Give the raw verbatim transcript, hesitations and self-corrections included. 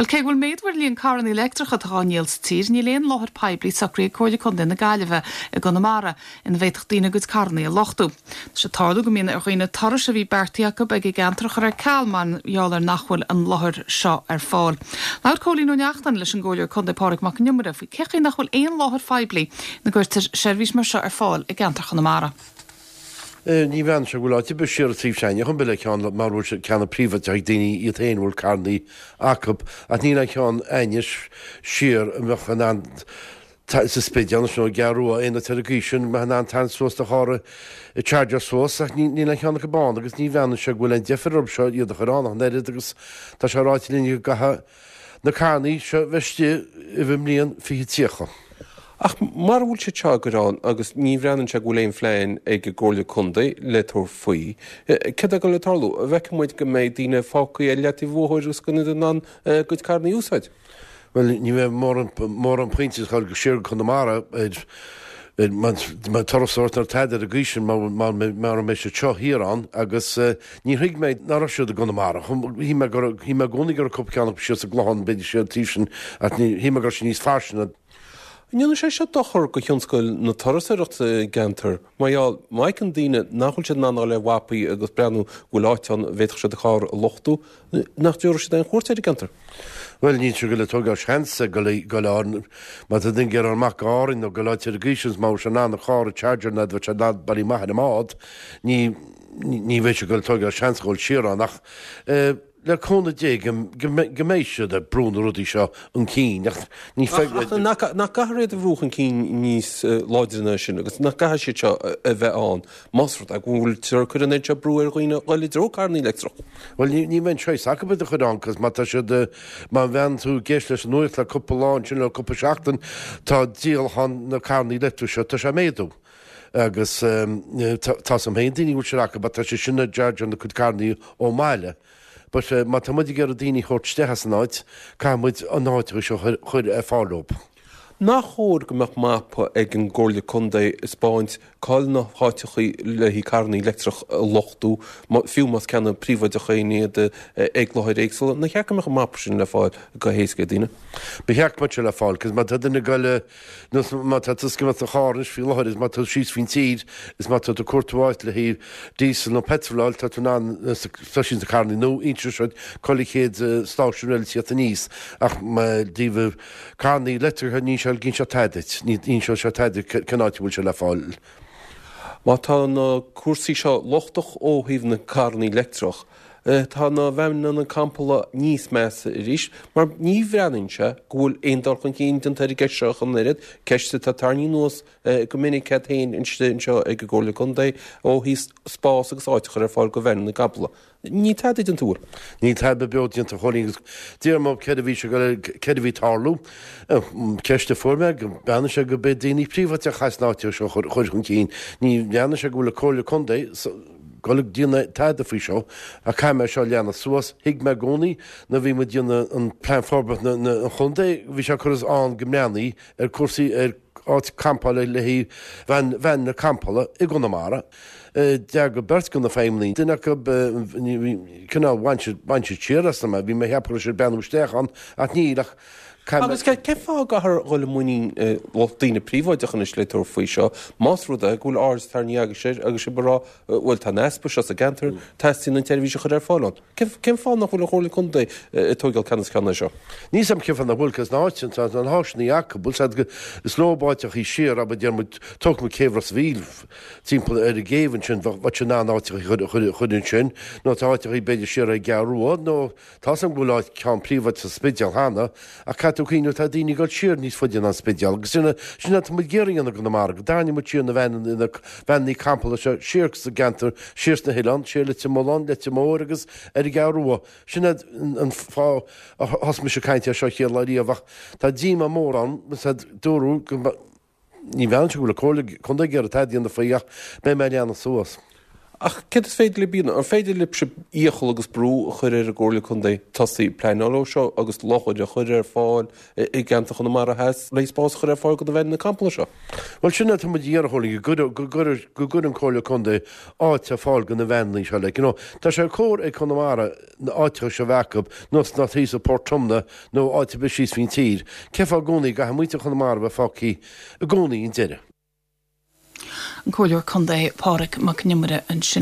Well cé bhfuil méadú ar líon carranna leictreacha atá á ndíol sa tír, níl aon láthair poiblí socraithe ag Comhairle Contae na Gaillimhe i gConamara ina bhféadfadh daoine a gcuid carranna a luchtú. Tá sé ag tarlú go mbíonn ar dhaoine turais a bhí beartaithe acu ag an gceantar a chur ar ceal mar gheall ar nach bhfuil an láthair seo ar fáil. Labhair Cóilín Ó Neachtain leis an gComhairleoir Contae Pádraig Mac Con Iomaire faoi cén chaoi nach bhfuil aon láthair phoiblí ina gcuirtear seirbhís mar seo ar fáil i gceantar Chonamara. Ní bhean se bhfuil áit be siar taobh seine chun be le ceann mar bhfuil sé ceann príomháideach ag daoine iad féin bhfuil carranna acu ach níl an ceann ainis siar a mbeadh an an sa Spidéal nó i gCeathrú Rua aon áit ar an gcaoi sin mbeadh an an suas do charr a charger suas ach níl an ceann acu ann agus ní bhean se bhfuil an deifir orthu seo iad a chur ann ach an oiread agus tá sé ráite linn go gcaithfidh na carranna seo bheith istigh i mbliain fiche tríocha. Ach mar bhfuil sé seo go ann agus ní bhreathnaíonn sé go bhfuil aon phlean ag an gComhairle Contae le tabhairt faoi. Céard atá le tarlú, bhfeicfidh muid go mbeidh daoine fágtha ar leataobh bóthair agus gan iad in ann a gcuid carranna a úsáid. Well ní bheidh mórán pointe ag dul siar go Conamara ar mar turasóir nó tada ar an gcaoi sin mar mbeidh siad seo thiar ann agus ní thuig mé nach raibh siad i gConamara. Shíl mé go shíl mé i gcónaí go raibh cúpla ceann acu siar sa gClochán b'fhéidir siar taobh sin ach ní shíl mé go raibh sé níos fairsinge. An ndéanann sé seo dochar go thionscal na turasóireachta sa gceantar mar gheall má fheiceann daoine nach bhfuil siad in ann a dhul ar mhapaí agus breathnú go bhfuil áit ann a bhféadfadh siad a charr a luchtú, nach dtabharfaidh siad aon chuairt ar an gceantar? Bhuel níl siad ag dul ag tógáil seans ag dul dul ann má tá duine ag iarraidh amach go Árainn nó go áit ar an gcaoi sin má bhfuil sé in ann a charr a charger nó bheadh sé in ann bailí maith ar an mbád ní ní bheidh sé ag dul ag tógáil seans a dhul siar ann ach le cúnamh Dé go mbeidh siad ag brú na rudaí seo chun cinn ach ní Ach nach gcaithfear iad a bhrú chun cinn níos láidre ná sin agus nach gcaithfidh siad seo a bheith ann más rud é go bhfuil cur an seo brú ar dhaoine dul i dtreo carranna leictreach. Bhuel ní bheidh choice acu iad a chur ann cos má tá siad má bhean tú ag éisteacht leis an nuacht le cúpla lá ansin le cúpla seachtain tá díolachán na carranna leictreach seo tá sé ag méadú. Agus tá sam féin daoine bhfuil siad acu tá sé sin ag charger na cuid carranna ón mbaile. But má tá muid ag iarraidh daoine a thabhairt isteach as an áit, caithfidh muid an áit seo chur ar fáil dóibh. Nach chóir go mbeadh mapa ag an gComhairle Contae ag 'spáint cá'il na háiteachaí le haghaidh carranna leictreach a luchtú, fiú más ceanna príobháideacha iad ag láthair éagsúla, nach cheart go mbeadh an mapa sin le fáil go héasca ag daoine? Ba cheart go mbeadh sé le fáil, cos má tá duine ag dul má tá tú ag imeacht sa charr anois faoi láthair is má tá tú síos faoin tír is má tá tú ag cuartú áit le haghaidh diesel nó petrol a fháil tá tú in ann tá siad sna carranna nó inseoidh siad chuile chéad stáisiún eile tíocht aníos ach díobh carranna leictreacha ní seo gin seo tada duit ní inseoidh sé tada cén áit a bhfuil sé le fáil. Má tá na cúrsaí seo lochtach ó thaobh na carranna leictreach, tá na veaineanna campála níos measa arís, mar ní bhreathnaíonn sé go bhfuil aon dul chun cinn déanta ar an gceist seo ach an oiread, ceist atá tarraingthe anuas go minic agat féin anseo ag an gComhairle Contae ó thaobh spás agus áit a chur ar fáil go veaineanna campála. Níl tada déanta bhfuil? Níl tada beo déanta Chóilín agus deir mé céard a bhí sé céard a bhí ag tarlú. Ceist a fuair mé go mbreathnaíonn sé go mbeidh daoine príobháideach as an áit seo chur chun cinn. Ní bhreathnaíonn sé go bhfuil an Comhairle Contae ag dul ag déanamh tada faoi seo ach caithfidh mé seo a leanadh suas. Thuig mé i gcónaí nuair a bhí muid ag déanamh an plean forbartha na an chontae bhí sé curtha ann go mbreathnaí ar cúrsaí ar áit campála le haghaidh veain veaineanna campála i gConamara. D'fhreagair beirt de na feidhmeannaigh duine acu cineál bhain siad bhain siad siar asam é bhí mé ag ceapadh go raibh siad ag breathnú isteach ann ach níl ach Agus cén fáth a gcaithfear dhul i muinín lucht daoine príobháideach anois le tabhairt faoi seo, más rud é go bhfuil aird tarraingthe agaibhse air agus sibh ag rá bhuel tá an easpa seo sa gceantar, teastaíonn an tseirbhís a chur ar fáil ann. Cén fáth nach bhfuil an Chomhairle Contae ag tógáil ceannas ceann air seo? Níl 's a'm cén fáth nach bhfuil, cos na háite, tá na háiseanna acu, bhfuil 's a'd is leo áiteachaí siar, abair deir muid, tógfaidh muid céibh Ros a' Mhíl timpeall ar an gcéibh ansin, bheadh siad in ann áiteachaí a chur a chur ansin, nó tá áiteachaí b'fhéidir siar ar an gCeathrú Rua, nó Tá 's a'm go bhfuil áit ceann príobháideach sa Spidéal cheana, ach caithfidh tú cuimhneamh tá daoine ag dul siar níos faide ná an Spidéal agus sin sin atá muid ag iarraidh a dhéanamh i gConamara, go dtarraingeoidh muid siar na veaineanna na veaineanna campála seo siar sa gceantar, siar sna hoileáin, siar Leitir Mealláin, Leitir Móir agus ar an gCeathrú Rua. Sin é an fáth a thosaigh mise ag caint air seo chéad lá riamh ach tá díomá mór ann, dúradh go Ní bhreathnaíonn sé go bhfuil an Comhairle Contae ag iarraidh tada a dhéanamh faoi ach beidh mé ag leanadh suas. Ach céard is féidir libh a dhéanamh? An féidir libhse iachall agus brú a chur ar an gComhairle Contae tosaí ag pleanáil dó seo agus láthair a chur ar fáil i gceantar Chonamara Theas le spás a chur ar fáil do na veaineanna campála seo? Bhuel sin atá muid a iarraidh a Chóilín, go gcuir go gcuir an Comhairle Contae áit ar fáil do na veaineanna seo like you know. Tá sé cóir ag Conamara na áiteacha seo a bheith acu nós ná thíos i Port Omna nó áit ar bith síos faoin tír. Cén fáth i gcónaí go gcaithfidh muintir Chonamara a bheith fágtha i gcónaí an deireadh? An Comhairleoir Contae Pádraig Mac Con Iomaire ansin.